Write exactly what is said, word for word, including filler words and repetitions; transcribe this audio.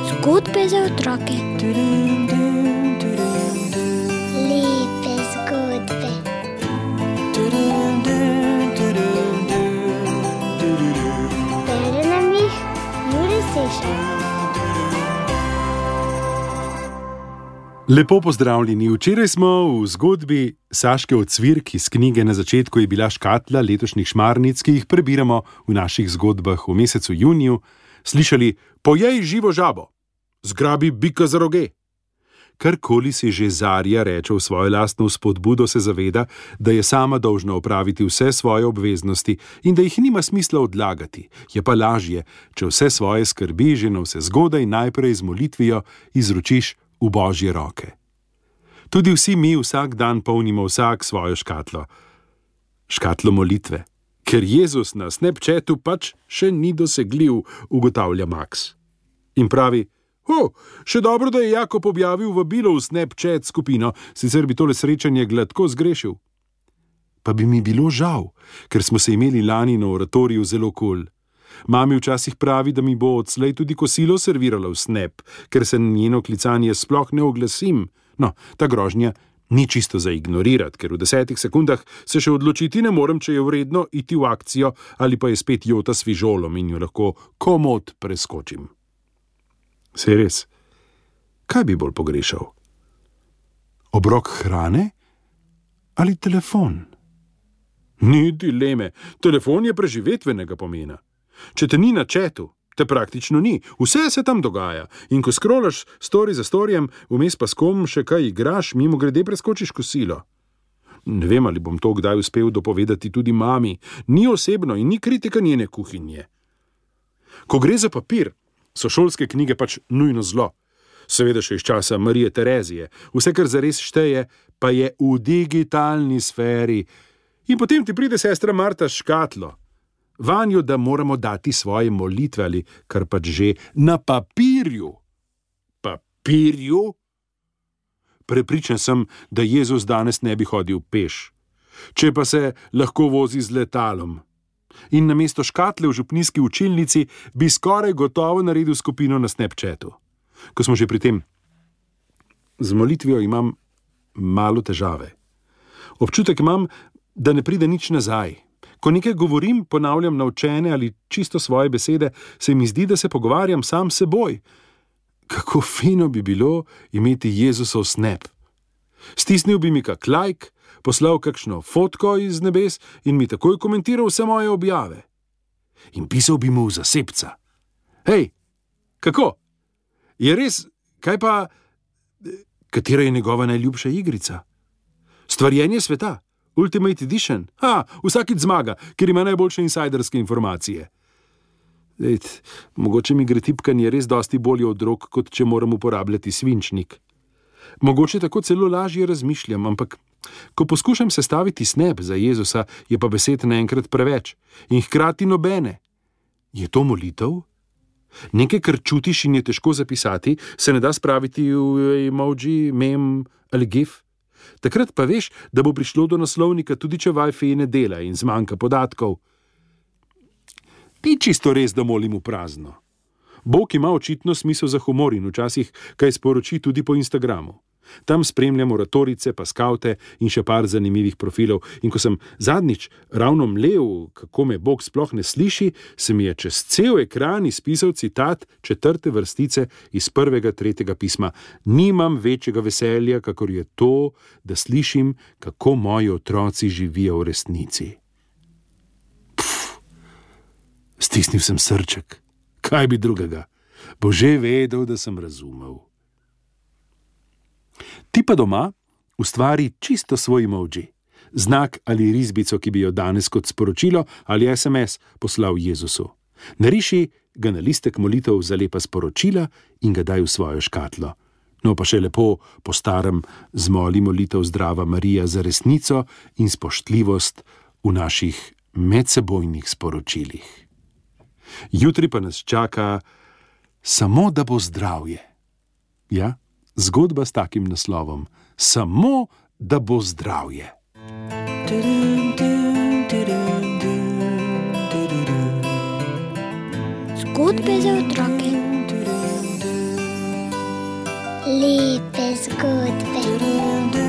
Zgodbe za otroke. Lepe zgodbe. Bere nam jih Jure Sešar. Lepo pozdravljeni. Včeraj smo v zgodbi Saške Ocvirk iz knjige Na začetku je bila škatla letošnjih šmarnic, ki jih prebiramo v naših zgodbah v mesecu juniju, slišali: pojej živo žabo, zgrabi bika za roge. Karkoli si že Zarja reče v svojo lastno spodbudo, se zaveda, da je sama dolžna opraviti vse svoje obveznosti in da jih nima smisla odlagati. Je pa lažje, če vse svoje skrbi že navsezgodaj najprej z molitvijo izročiš v Božje roke. Tudi vsi mi vsak dan polnimo vsak svojo škatlo. Škatlo molitve. Ker Jezus na Snapchatu pač še ni dosegljiv, ugotavlja Max. In pravi: O, še dobro, da je Jakob objavil vabilo v Snapchat skupino, sicer bi tole srečanje gladko zgrešil. Pa bi mi bilo žal, ker smo se imeli lani na oratoriju zelo kul. Mami včasih pravi, da mi bo odslej tudi kosilo servirala v Snap, ker se na njeno klicanje sploh ne oglasim. No, ta grožnja ni čisto za ignorirati, ker v desetih sekundah se še odločiti ne morem, če je vredno iti v akcijo ali pa je spet Jota s fižolom in jo lahko komod preskočim. Saj res, kaj bi bolj pogrešal? Obrok hrane ali telefon? Ni dileme, telefon je preživetvenega pomena. Če te ni na chatu, te praktično ni, vse se tam dogaja in ko scrollaš story za storyjem, vmes pa s kom še kaj igraš, mimo grede preskočiš kosilo. Ne vem, ali bom to kdaj uspel dopovedati tudi mami, ni osebno in ni kritika njene kuhinje. Ko gre za papir, so šolske knjige pač nujno zlo. Seveda še iz časa Marije Terezije, vse, kar zares šteje, pa je v digitalni sferi. In potem ti pride sestra Marta s škatlo. Vanjo, da moramo dati svoje molitve ali kar pač že na papirju. Papirju? Prepričan sem, da Jezus danes ne bi hodil peš, če pa se lahko vozi z letalom. In namesto škatle v župnijski učilnici bi skoraj gotovo naredil skupino na Snapchatu. Ko smo že pri tem, z molitvijo imam malo težave. Občutek imam, da ne pride nič nazaj. Ko nekaj govorim, ponavljam naučene ali čisto svoje besede, se mi zdi, da se pogovarjam sam s seboj. Kako fino bi bilo imeti Jezusov snap. Stisnil bi mi kak like, poslal kakšno fotko iz nebes in mi takoj komentiral vse moje objave. In pisal bi mu v zasebca. Hej, kako? Je res, kaj pa, katera je njegova najljubša igrica? Stvarjenje sveta? Ultimate Edition? Ha, vsakič zmaga, ker ima najboljše insajderske informacije. Dejt, mogoče mi gre tipkanje res dosti bolje od rok, kot če moram uporabljati svinčnik. Mogoče tako celo lažje razmišljam, ampak ko poskušam sestaviti snap za Jezusa, je pa besed naenkrat preveč in hkrati nobene. Je to molitev? Nekaj, kar čutiš in je težko zapisati, se ne da spraviti v emoji, mem ali gif? Takrat pa veš, da bo prišlo do naslovnika, tudi če Wi-Fi ne dela in zmanjka podatkov. Ni čisto res, da molim v prazno. Bog ima očitno smisel za humor in včasih kaj sporoči tudi po Instagramu. Tam spremljam oratorice, pa skavte in še par zanimivih profilov. In ko sem zadnjič ravno mlel, kako me Bog sploh ne sliši, se mi je čez cel ekran izpisal citat četrte vrstice iz prvega tretjega pisma. Nimam večjega veselja, kakor je to, da slišim, kako moji otroci živijo v resnici. Pff, stisnil sem srček. Kaj bi drugega? Bo že vedel, da sem razumel. Ti pa doma ustvari čisto svoj emoji, znak ali risbico, ki bi jo danes kot sporočilo ali es em es poslal Jezusu. Nariši ga na listek molitev za lepa sporočila in ga daj v svojo škatlo. No pa še lepo po starem zmoli molitev Zdrava Marija za resnico in spoštljivost v naših medsebojnih sporočilih. Jutri pa nas čaka samo, da bo zdravje. Ja? Zgodba s takim naslovom. Samo, da bo zdravje. Zgodbe za otroke. Lepe zgodbe.